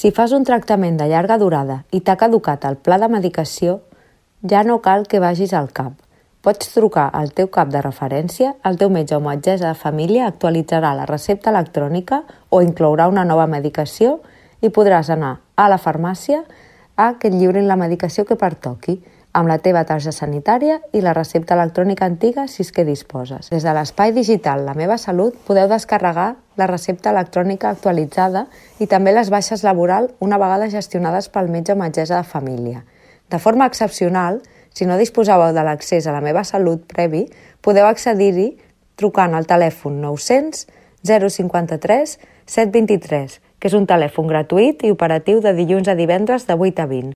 Si fas un tractament de llarga durada i t'ha caducat el pla de medicació, ja no cal que vagis al CAP. Pots trucar al teu CAP de referència, el teu metge o metgessa de família actualitzarà la recepta electrònica o inclourà una nova medicació i podràs anar a la farmàcia a que et lliurin la medicació que pertoqui, amb la teva targeta sanitària i la recepta electrònica antiga si és que disposes. Des de l'espai digital La Meva Salut podeu descarregar la recepta electrònica actualitzada i també les baixes laboral una vegada gestionades pel metge o metgessa de família. De forma excepcional, si no disposàveu de l'accés a La Meva Salut previ, podeu accedir-hi trucant al telèfon 900 053 723, que és un telèfon gratuït i operatiu de dilluns a divendres de 8 a 20.